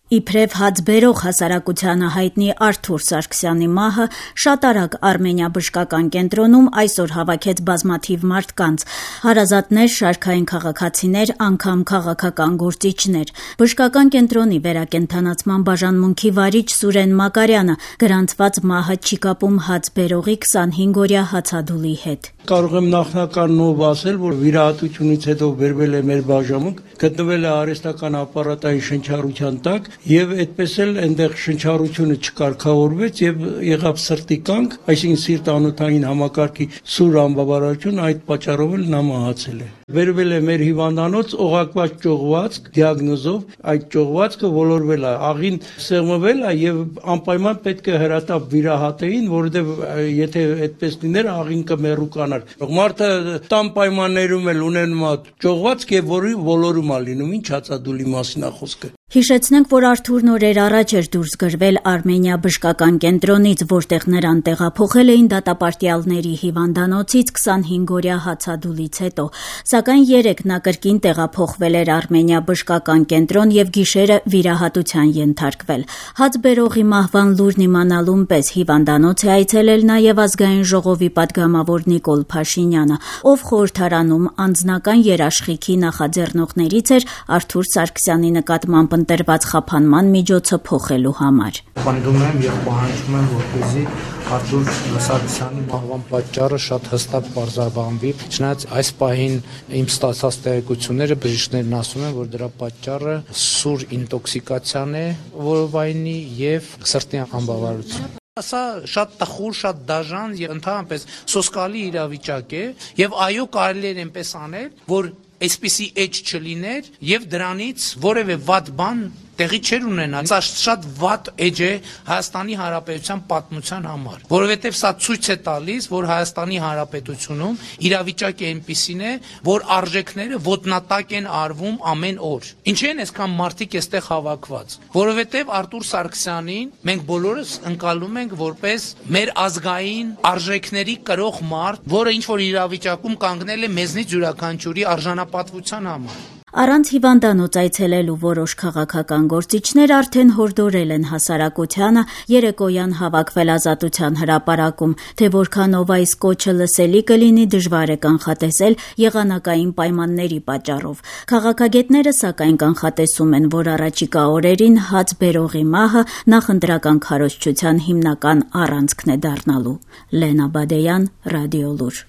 Իբրև հաց բերող հասարակությանը հայտնի Արթուր Սարգսյանի մահը շատ արագ Արմենիա բժշկական կենտրոնում այսօր հավաքեց բազմաթիվ մարդկանց, հարազատներ, շարքային քաղաքացիներ, անգամ քաղաքական գործիչներ։ Բժշկական կենտրոնի վերակենդանացման բաժանմունքի վարիչ Սուրեն Մակարյանը գրանցված մահը չի կապում հաց բերողի 25-օրյա հացադուլի հետ։ Կարող եմ նախնականով ասել, որ վիրահատությունից հետո բերվել է մեր բաժանմունք, գտնվել է արհեստական ապարատային շնչառության տակ եւ այդպես էլ այնտեղ շնչառությունը չկարգավորվեց եւ եղավ սրտի կանգ, այսինքն սիրտ-անոթային համակարգի սուր անբավարարություն, այդ պատճառով էլ նա մահացել է։ Վերվել է մեր հիվանդանոց օղակված ճողվածք դիագնոզով, այդ ճողվածքը ոլորվել է, աղին սեղմվել է եւ անպայման պետք է հրատապ վիրահատեին, որովհետեւ եթե այդպես լիներ աղին կմեռուկանար։ Մարդը տան պայմաններում էլ ունենում է ճողվածք եւ որի ոլորում է լինում, ինչ հացադուլի մասին է խոսքը։ Հիշեցնենք, որ Արթուրն օրեր առաջ էր դուրս գրվել Արմենիա բժշկական կենտրոնից, որտեղ նրան տեղափոխել էին դատապարտյալների հիվանդանոցից 25-օրյա հացադուլից հետո, սակայն երեկ նա կրկին տեղափոխվել էր Արմենիա բժշկական կենտրոն եւ գիշերը վիրահատության ենթարկվել։ Հաց բերողի մահվան լուրն իմանալուն պես հիվանդանոց է այցելել նաեւ Ազգային ժողովի պատգամավոր Նիկոլ Փաշինյանը, ով խորհրդարանում անձնական երաշխիքի նախաձեռնողներից էր Արթուր Սարգսյանի նկատմամբ ընտրված խափանման միջոցը փոխելու համար։ Պնդում եմ եւ պահանջում եմ, որպեսզի Արթուր Սարգսյանի մահվան պատճառը շատ հստակ պարզաբանվի։ Չնայած այս պահին իմ ստացած տեղեկությունները բժիշկներն ասում են, որ դրա պատճառը սուր ինտոքսիկացիան է որովայնի եւ սրտի անբավարարություն։ Սա շատ տխուր, շատ դաժան եւ ընդհանրապես սոսկալի իրավիճակ է եւ այո կարելի է այնպես անել, որ այսպիսի էջ չլիներ եւ դրանից որևէ վատ բան տեղի չէր ունենալ։ Սա շատ վատ էջ է Հայաստանի Հանրապետության պատմության համար, որովհետև սա ցույց է տալիս, որ Հայաստանի Հանրապետությունում իրավիճակը այնպիսին է, որ արժեքները ոտնատակ են արվում ամեն օր։ Ինչի են այսքան մարդիկ այստեղ հավաքված, որովհետև Արթուր Սարգսյանին մենք բոլորս ընկալում ենք որպես մեր ազգային արժեքների կրող մարդ, որը ինչ որ իրավիճակում կանգնել է մեզնից յուրաքանչյուրի արժանապատվության համար։ Առանց հիվանդանոց այցելելու որոշ քաղաքական գործիչներ արդեն հորդորել են հասարակությանը երեկոյան հավաքվել Ազատության հրապարակում, թե որքանով այս կոչը լսելի կլինի դժվար է կանխատեսել եղանակային պայմանների պատճառով։ Քաղաքագետները սակայն կանխատեսում են, որ առաջիկա օրերին հաց բերողի մահը նախընտրական քարոզչության հիմնական առանցքն է դառնալու։ Լենա Բադեյան, Ռադիոլուր։